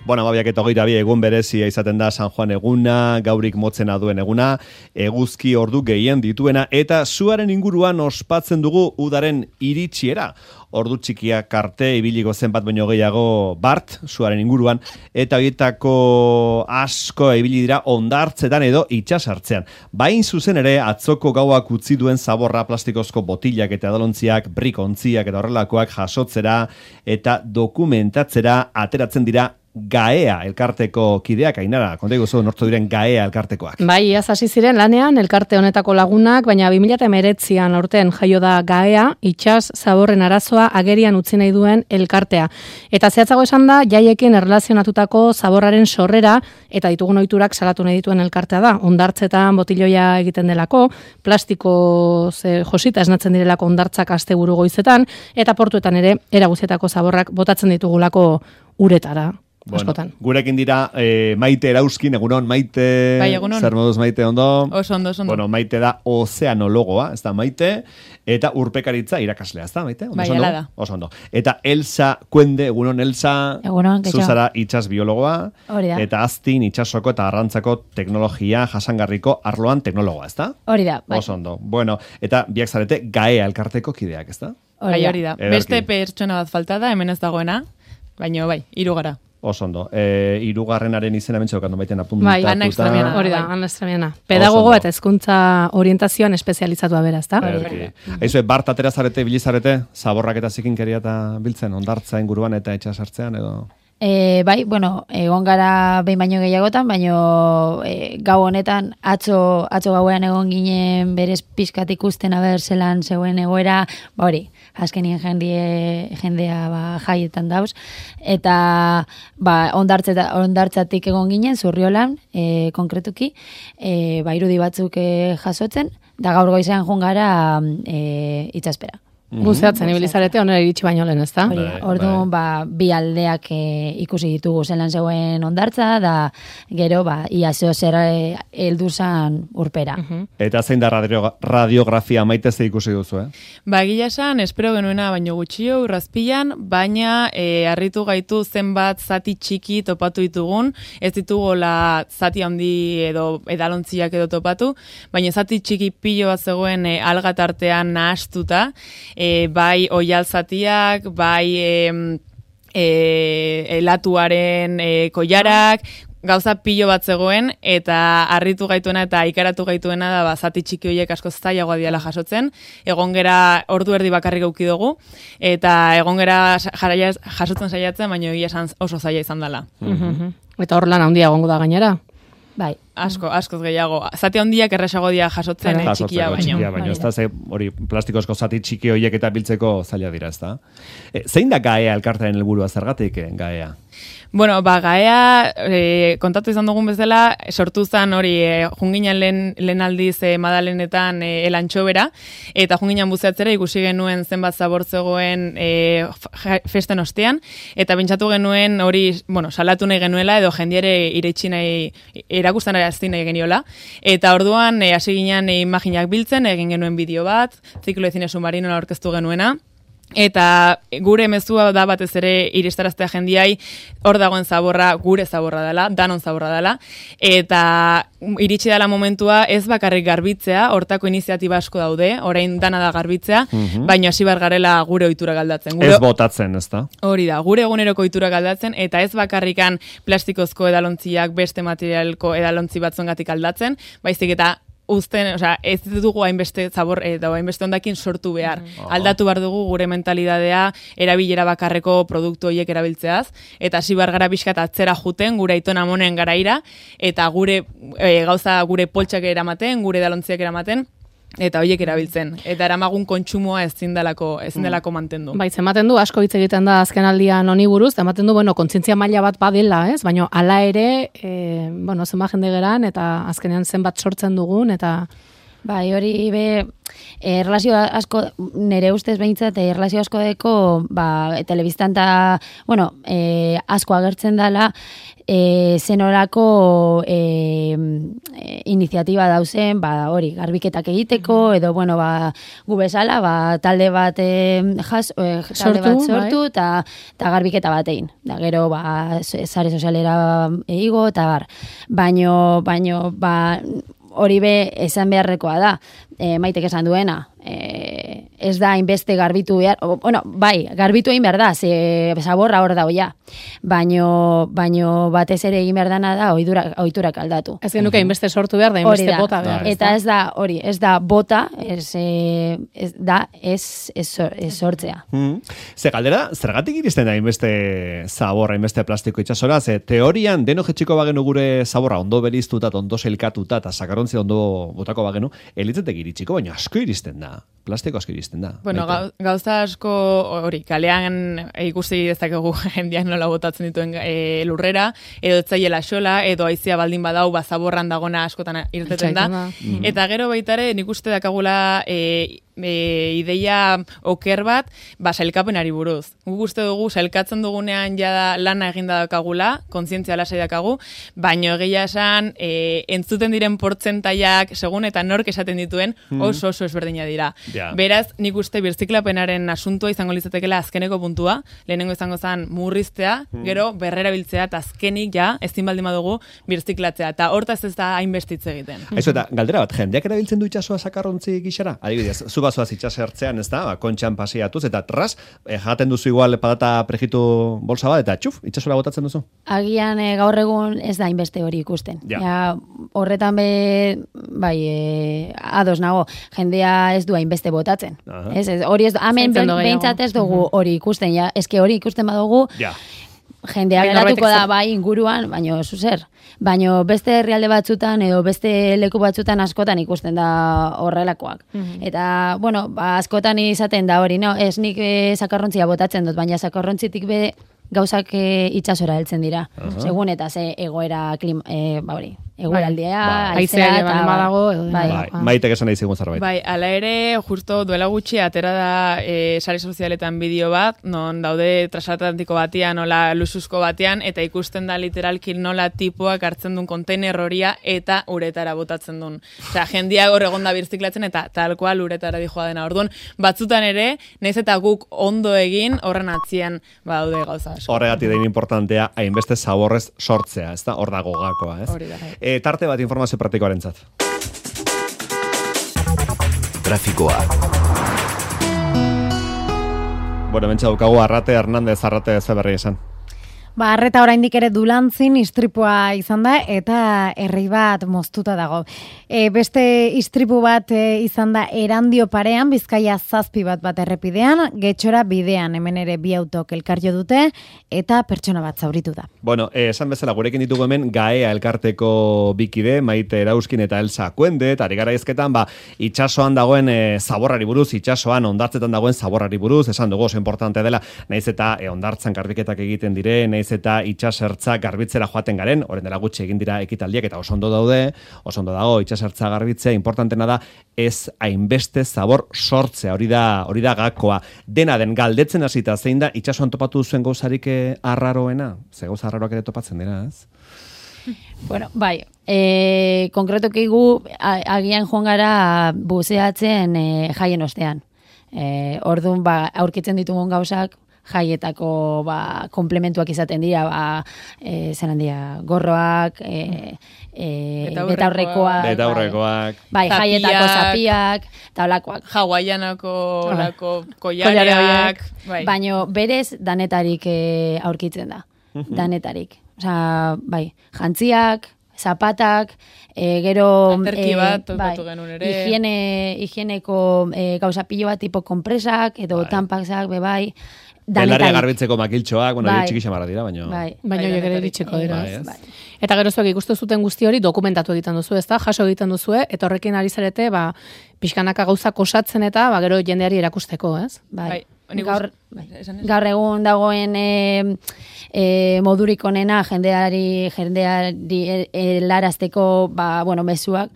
Bueno, 22 egun berezia izaten da San Juan eguna, gaurik motzena duen eguna, eguzki ordu gehien dituena, eta zuaren inguruan ospatzen dugu udaren iritsiera. Ordu txikia karte ibiliko zenbat baino gehiago bart, zuaren inguruan, eta horietako asko ibili dira hondartzetan edo itsasartzean. Bain zuzen ere, atzoko gauak utzi duen zaborra plastikozko botilak eta edalontziak, brikontziak eta horrelakoak jasotzera eta dokumentatzera ateratzen dira GAEA elkarteko kideak. Ainara, konta iguzu nortzu diren GAEA elkartekoak. Bai, iaz hasi ziren lanean elkarte honetako lagunak, baina 2019an aurten jaio da GAEA, itsas zaborren arazoa agerian utzi nahi duen elkartea. Eta zehatzago esan da, jaiekin erlazionatutako zaborraren sorrera eta ditugun ohiturak salatu nahi dituen elkartea da. Hondartzetan botiloia egiten delako, plastiko josita esnatzen direlako hondartzak asteburu goizetan, eta portuetan ere era guztietako zaborrak botatzen ditugulako uretara. Bueno, gurekin dira Maite Erauskin, egunon, Maite. Bai, egunon. Zer moduz, Maite, ondo? Oso ondo. Bueno, Maite da ozeanologoa, ez da Maite, eta urpekaritza irakaslea, ez da Maite? Bai, ala da. Oso ondo. Eta Elsa Kuende, egunon, Elsa. Egunon, getxo. Zuzara itsas biologoa. Hori da. Eta Aztin itsasoko eta arrantzako teknologia jasangarriko arloan teknologoa, ez da? Hori da, bai. Oso ondo. Bueno, eta biak zarete GAEA elkarteko kideak, ez da? Hori da. Beste pertsona bat falta da, hemen ez dagoena, baina bai, 3 gara. Oso ondo. 3. izena mentxe okandu baiten apuntatuta. Bai, Ana Extramiana. Hori da, Ana Extramiana. Pedagogo eta hezkuntza orientazioan espezializatua bera, ezta? Aizue, bart atera zarete, bilizarete, zaborrak eta zikinkeria eta biltzen, hondartza inguruan eta itxasartzean edo... Bai, bueno, egon gara behin baino gehiagotan, baino gau honetan atzo gauean egon ginen berez pizkat ikusten aber zelan zeuen egoera, ba hori, azkenien jendea jaietan dauz, eta hondartzatik egon ginen, Zurriolan, konkretuki, irudi batzuk jasotzen, da gaur goizean joan gara itsaspera. Buzeatzen ibilizarete onera iritsi baino lehen, ezta? Orduan, bi aldeak ikusi ditugu zelan zeuen hondartza, da gero, ia zer heldu zan urpera. Eta zein da radiografia Maite ze ikusi duzu, Ba, egia esan, espero genuena baino gutxio, urrazpilan, baina harritu gaitu zenbat zati txiki topatu ditugun, ez ditugola zati handi edo edalontziak edo topatu, baina zati txiki pilo bat zegoen algatartean nahastuta, bai oialzatiak, bai elatuaren koilarak, gauza pilo bat zegoen, eta harritu gaituena eta ikaratu gaituena da zati txiki horiek asko zailagoa diala jasotzen. Egon gera ordu erdi bakarrik eduki dugu, eta egon gera jasotzen saiatzen, baina egia esan oso zaila izan dela. Eta hor lan handia egongo da gainera. Bai. Askoz gehiago. Zati handiak errasago dira jasotzen txikia baino. Ez da, hori plastikozko zati txiki horiek eta biltzeko zaila dira, ez da? Zein da GAEA elkartearen helburua, zergatik GAEA? Bueno, GAEA, kontatu izan dugun bezala, sortu zen hori junginan lehen aldiz Madalenetan elantxobera, eta junginan buzeatzera ikusi genuen zenbat zabor zegoen festen ostean, eta pentsatu genuen hori, salatu nahi genuela, edo jendiare iretsi nahi, erakustan arazti nahi geniola, eta orduan hasi ginen imaginak biltzen, egin genuen bideo bat, ziklo de cine submarino aurkeztu genuena, eta gure mezua da batez ere iristaraztea jendiai, hor dagoen zaborra, gure zaborra dela, danon zaborra dela, eta iritsi dela momentua ez bakarrik garbitzea, hortako iniziatiba asko daude, orain dana da garbitzea, baina hasi bar garela gure ohitura galdatzen. Ez botatzen, ez da? Hori da, gure eguneroko ohitura galdatzen, eta ez bakarrikan plastikozko edalontziak beste materialko edalontzi batzongatik aldatzen, baizik eta ez dugu hainbeste zabor edo hainbeste hondakin sortu behar. Aldatu behar dugu gure mentalidadea erabilera bakarreko produktu horiek erabiltzeaz, eta hasi behar gara pixkat atzera juten, gure aiton amonen garaira, eta gure gauza gure poltsak eramaten, gure edalontziak eramaten, eta horiek erabiltzen. Eta eramagun kontsumoa ezin delako mantendu. Bai, ematen du, asko hitz egiten da azken aldian honi buruz, ematen du, kontzientzia maila bat badela, ez? Baina hala ere, zenbat jende geran, eta azkenean zenbat sortzen dugun, eta... Bai, hori erlazio asko, nire ustez behintzat, erlazio asko deko, telebistan eta, asko agertzen dela, zenorako iniziatiba dauzen, hori, garbiketak egiteko, edo, gu bezala, talde bat sortu, eta garbiketa bat egin. Da, gero, sare sozialera eigo, eta bar. Baino, hori esan beharrekoa da, Maitek esan duena, ez da inbeste garbitu behar, garbitu egin behar da, ze zaborra hor da oia, baino batez ere egin behar dana da ohiturak aldatu. Ez genuke inbeste sortu behar da, inbeste bota behar. Eta ez da bota, ez sortzea. Ze galdera, zergatik iristen da inbeste zaborra, inbeste plastiko itxasora, ze teorian deno jetxiko bagenu gure zaborra ondo beriztuta, ondo selkatuta, eta sakarrontzi ondo botako bagenu, elitzetek iritsiko, baina asko iristen da. Plastiko asko iristen da. Bueno, gauza asko hori, kalean ikusi dezakegu jendeak nola botatzen dituen lurrera, edo etzaiela xola, edo aizia baldin badau, zaborran dagona askotan irteten da. Eta gero baitare, nik uste dakagula ideia oker bat, sailkapenari buruz. Guk uste dugu, sailkatzen dugunean jada lana eginda dakagula, kontzientzia lasai dakagu, baino egia esan, entzuten diren portzentaiak, segun eta nork esaten dituen, oso ezberdina dira. Beraz, nik uste birziklapenaren asuntua izango litzatekeela azkeneko puntua, lehenengo izango zen murriztea, gero berrerabiltzea, eta azkenik ezin baldin badugu birziklatzea, eta hortaz ez da hainbestitze egiten. Aizu, eta galdera bat, jendeak erabiltzen du itxasoa sakarrontzi gixara? Adibidez, zu bazoaz itxasertzean, ez da, kontxan pasiatuz, eta tras, jaten duzu igual patata prejitu bolsa bat, eta txuf, itxasora botatzen duzu? Agian gaur egun ez da hainbeste hori ikusten. Horretan ados nago, jendea ez du hainbeste botatzen. Hori ez, hemen behintzat ez dugu hori ikusten, eske hori ikusten badugu, jendea geratuko da inguruan, baino zuzer. Baino beste herrialde batzutan edo beste leku batzutan askotan ikusten da horrelakoak. Eta, askotan izaten da hori, ez nik sakarrontzia botatzen dut, baina sakarrontzitik gauzak itxasora heltzen dira. Segun eta ze egoera egoeraldea, aizea eta badago edo Maitek esan nahi zigun zerbait. Ala ere, justo duela gutxi atera da sare sozialetan bideo bat, non daude transatlantiko batean, nola luxuzko batean, eta ikusten da literalki nola tipoak hartzen duen konteiner horia eta uretara botatzen duen. Osea, jendia hor egonda birziklatzen eta tal kual uretara dijoa dena. Orduan, batzutan ere, naiz eta guk ondo egin horren atzien badaude gauza asko. Horregatik da inportantea hainbeste zaborrez sortzea, ez da? Hor dago gakoa, ez? Hori da. Tarte bat informazio praktikoarentzat. Trafikoa. Mentxe daukagu Arrate Hernández, Arrate Zeberri esan. Arreta oraindik ere Dulantzin istripua izan da eta herri bat moztuta dago. Beste istripu bat izan da Erandio parean, Bizkaia 7 bat errepidean, Getxora bidean, hemen ere 2 autok elkarjo dute eta pertsona bat zauritu da. Esan bezala gurekin ditugu hemen Gaea elkarteko bikide, Maite Erauskin eta Elsa Kuende, eta ari gara izketan, itxasoan dagoen zaborrari buruz, itxasoan ondartzetan dagoen zaborrari buruz, esan dugu oso importante dela, naiz eta ondartzan garbiketak egiten dire, naiz eta itxasertza garbitzera joaten garen, orain dela gutxi egin dira ekitaldiak eta oso ondo dago itxasertza garbitzea, importantena da ez hainbeste zabor sortzea, hori da gakoa. Dena den galdetzen hasita zein da itxasoan topatu zuen gauzarik arraroena? Ze gauza arraroak ere topatzen dira, ez? Konkretoki gu agian joan gara buzeatzen jaien ostean. Orduan, aurkitzen ditugun gauzak jaietako komplementuak izaten dira, gorroak, betaurrekoak, jaietako zapiak, eta olakoak. Hawaiianako koiareak. Baina berez danetarik aurkitzen da. Danetarik. Osea, jantziak, zapatak, gero aterki bat topatu genuen ere. Higieneko gauzapillo bat tipo kompresak edo tampaksak bebai. Belarria garbitzeko makiltxoak, txiki xamarra dira, baina horiek ere ditxeko dira. Eta gero zuek ikustu zuten guzti hori dokumentatu egiten duzu, ezta? Jaso egiten duzu, eta horrekin ari zarete, pixkanaka gauzak osatzen eta gero jendeari erakusteko, ez? gaur egun dagoen modurik onena jendeari helarazteko mezuak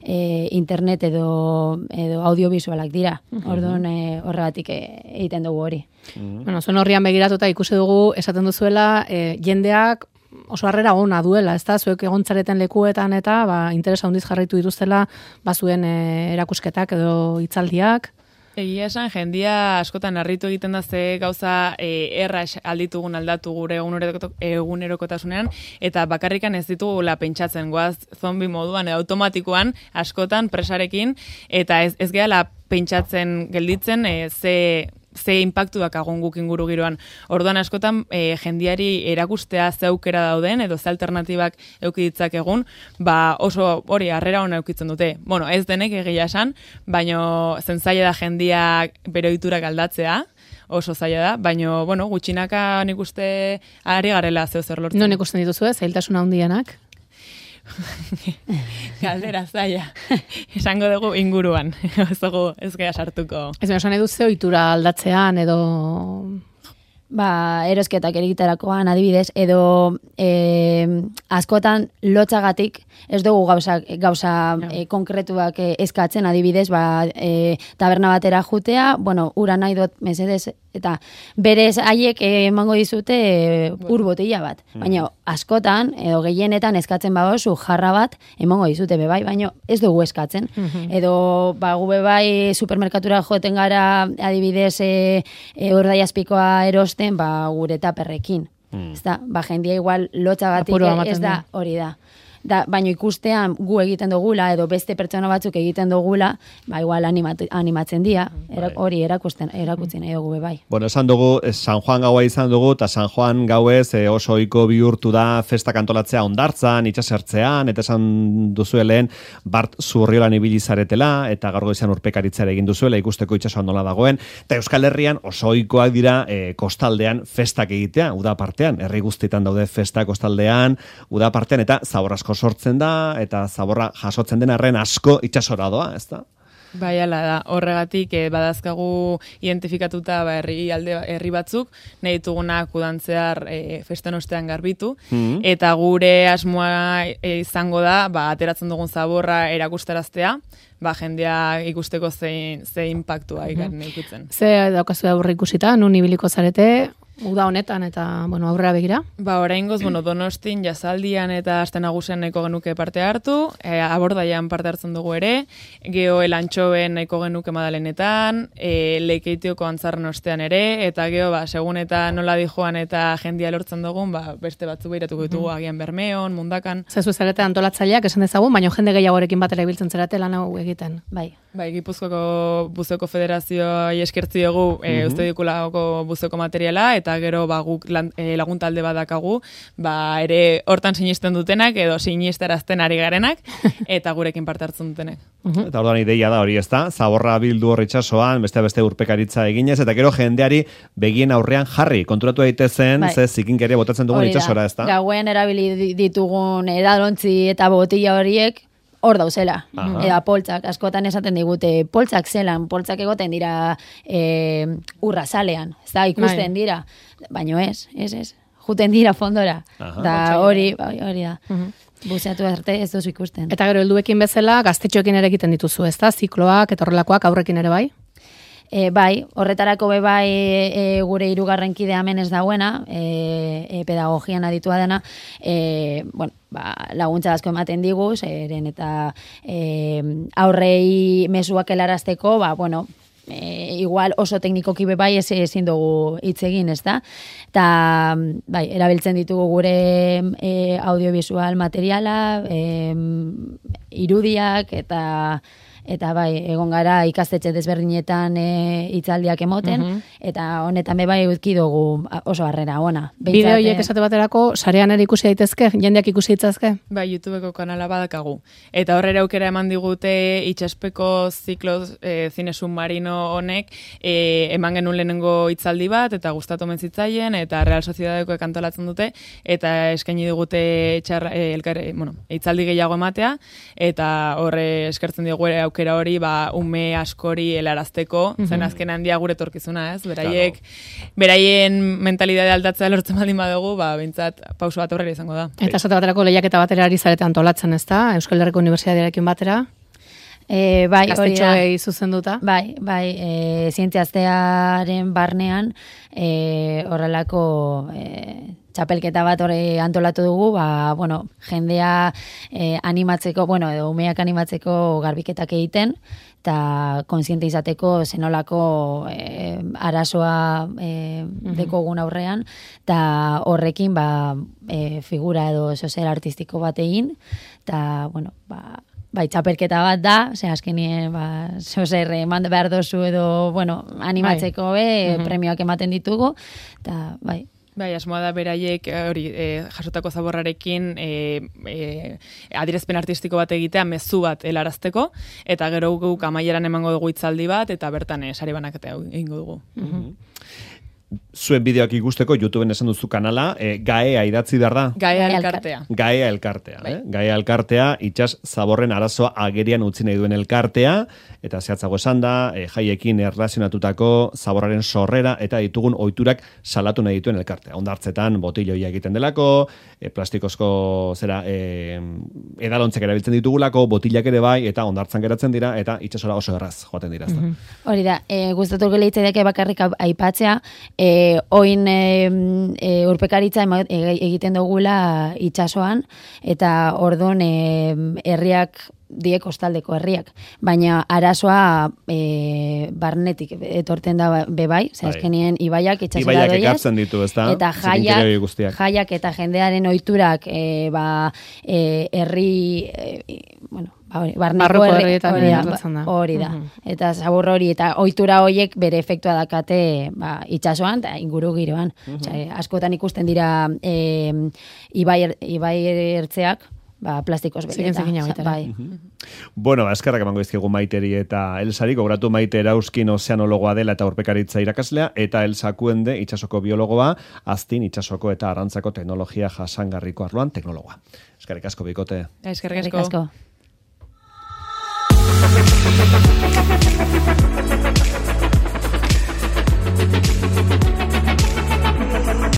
internet edo audiovisualak dira. Orduan horregatik egiten dugu hori. Bueno, zuen horrian begiratuta ikusi dugu esaten duzuela jendeak oso harrera ona duela, ezta? Zuek egontzareten lekuetan eta interesa handiz jarraitu dituztela zuen erakusketak edo hitzaldiak. Egia esan, jendia askotan harritu egiten da ze gauza erraz alditugun aldatu gure egunerokotasunean, eta bakarrikan ez ditugula pentsatzen, goaz zombi moduan edo automatikoan askotan presarekin, eta ez gehala pentsatzen gelditzen ze impactuak agon guk inguru giroan. Orduan askotan jendiari erakustea ze aukera dauden edo ze alternatibak eduki ditzakegun, oso hori harrera ona edukitzen dute. Bueno, ez denek egia esan, baino zaila da jendiak bere ohiturak aldatzea, oso zaila da, baino gutxinaka nik uste ari garela zeo zer lortzen. Non ikusten dituzu zailtasuna handienak? Galdera zaila. Esango dugu inguruan. Ez gea sartuko. Ez esan edu ze ohitura aldatzean edo... Erosketak egiterakoan adibidez, edo askotan lotzagatik ez dugu gauza konkretuak eskatzen adibidez, taberna batera jutea, ura nahi dut mesedez, eta berez haiek emango dizute ur botila bat. Baina askotan, edo gehienetan eskatzen bagozu jarra bat emango dizute bebai, baina ez dugu eskatzen. Edo gu bebai supermerkatura joten gara adibidez urdaiazpikoa erosten gure taperrekin. Jendia igual lotzagatik ez da hori da. Baina ikustean gu egiten dugula edo beste pertsona batzuk egiten dugula, igual animatzen dira, hori erakutzen nahi dugu bai. Bueno, esan dugu, San Juan gaua izan dugu, eta San Juan gauez oso ohiko bihurtu da festak antolatzea hondartzan, itsasertzean, eta esan duzuelen Bart Zurriolan ibili zaretela, eta gaur goizean urpekaritzara egin duzuela, ikusteko itsasoan nola dagoen, eta Euskal Herrian oso ohikoak dira kostaldean festak egitea, uda partean, herri guztietan daude festak kostaldean, uda partean, eta zabor asko sortzen da, eta zaborra jasotzen den arren asko itsasora doa, ez da? Bai, ala da. Horregatik badazkagu identifikatuta herri batzuk, nahi ditugunak udantzear festen ostean garbitu, eta gure asmoa izango da, ateratzen dugun zaborra erakustaraztea, jendea ikusteko ze impactua ikan ikutzen. Ze daukazu aurre ikusita, nun ibiliko zarete, uda honetan eta aurrera begira? Oraingoz, Donostin, Jazaldian eta Aste Nagusian nahiko genuke parte hartu, Abordaian parte hartzen dugu ere, gero Elantxoben nahiko genuke Madalenetan, Leikeitioko Antzarren ostean ere, eta gero, segun eta nola dijoan eta jendia lortzen dugun, beste batzu behiratuko ditugu agian Bermeon, Mundakan. Zezu zarete antolatzaileak esan dezagun, baina jende gehiagorekin batera ibiltzen zarete lan hau egiten. Bai, Gipuzkoako Buzeko Federazioa eskertzi dugu uste dikulako buzeko materiala, eta gero guk laguntalde badakagu, ere hortan sinisten dutenak edo sinisterazten ari garenak, eta gurekin parte hartzen dutenek. Eta orduan ideia da hori, ezta? Zaborra bildu hor itsasoan, beste urpekaritza eginez, eta gero jendeari begien aurrean jarri, konturatu daitezen, ze zikinkeria botatzen dugun itsasora, ezta? Gauen erabili ditugun edalontzi eta botila horiek, hor dauzela, eta poltsak, askotan esaten digute, poltsak poltsak egoten dira urra salean, ez da, ikusten dira, baino ez, juten dira fondora, da hori da. Buzeatu arte ez duzu ikusten. Eta gero helduekin bezala, gaztetxoekin ere egiten dituzu, ez da, zikloak eta horrelakoak aurrekin ere bai? Bai, horretarako gure hirugarren kidea hemen ez dagoena, pedagogian aditua dena, laguntza asko ematen digu, zeren eta aurrei mezuak helarazteko, igual oso teknikoki bai ezin dugu hitz egin, ez da? Eta, erabiltzen ditugu gure audiovisual materiala, irudiak, eta egon gara ikastetxe desberdinetan hitzaldiak emoten, eta honetan bai utki dugu oso harrera ona. Bideo horiek esate baterako, sarean ere ikusi daitezke, jendeak ikusi ditzazke? Bai, YouTubeko kanala badakagu. Eta horrera aukera eman digute itxaspeko ziklo zine submarino honek, eman genuen lehenengo hitzaldi bat, eta gustatu mentzitzaien, eta Real Sociedadekoek antolatzen dute, eta eskaini digute hitzaldi gehiago ematea, eta horre eskertzen dugu aukera hori ume askori helarazteko, zen azken handia gure torkizuna, ez? Beraien mentalidade aldatzea lortzen baldin badugu, behintzat pauso bat aurrera izango da. Eta esate baterako lehiaketa batera ari zarete antolatzen, ez da? Euskal Herriko Unibertsitatearekin batera? Bai, hori da. Zuzenduta? Bai, zientziaztearen barnean horrelako txapelketa bat hori antolatu dugu, jendea animatzeko, edo umeak animatzeko garbiketak egiten, eta konsiente izateko zenolako arazoa dekogun aurrean, eta horrekin figura edo sozer artistiko bat egin, eta, txapelketa bat da, azkenien, sozer eman behar dozu edo, animatzeko premioak ematen ditugu, eta, asmoa da beraiek hori jasotako zaborrarekin adierazpen artistiko bat egitea, mezu bat helarazteko, eta gero guk amaieran emango dugu hitzaldi bat, eta bertan sari banaketa egingo dugu. Zuen bideoak ikusteko, YouTubeen esan duzu kanala, Gaea idatzi behar da? Gaea elkartea. Gaea elkartea. Gaea elkartea, itsas zaborren arazoa agerian utzi nahi duen elkartea, eta zehatzago esan da, jaiekin erlazionatutako zaborraren sorrera, eta ditugun ohiturak salatu nahi dituen elkartea. Ondartzetan botilloia egiten delako, plastikozko edalontzek erabiltzen ditugulako, botillak ere bai, eta ondartzan geratzen dira, eta itsasora oso erraz joaten dira. Hori da, gustatuko leitzaidak bakarrik aipatzea, oin urpekaritza egiten dugula itsasoan, eta ordon herriak die kostaldeko herriak, baina arazoa barnetik etorten da bebai, azkenien ibaiak itxasora doiez, ekartzen ditu, ezta? Eta jaiak eta jendearen ohiturak herri barneko hori da. Eta zabor hori eta ohitura horiek bere efektua dakate itsasoan eta inguru giroan. Askotan ikusten dira ibai ertzeak plastikoz bete. Eskerrak emango izkigu Maiteri eta Elsari, gogoratu Maite Erauskin ozeanologoa dela eta urpekaritza irakaslea, eta Elsa Kuende itsasoko biologoa, Aztin itsasoko eta arrantzako teknologia jasangarriko arloan teknologoa. Eskerrik asko bikote. Eskerrik asko. Thank you.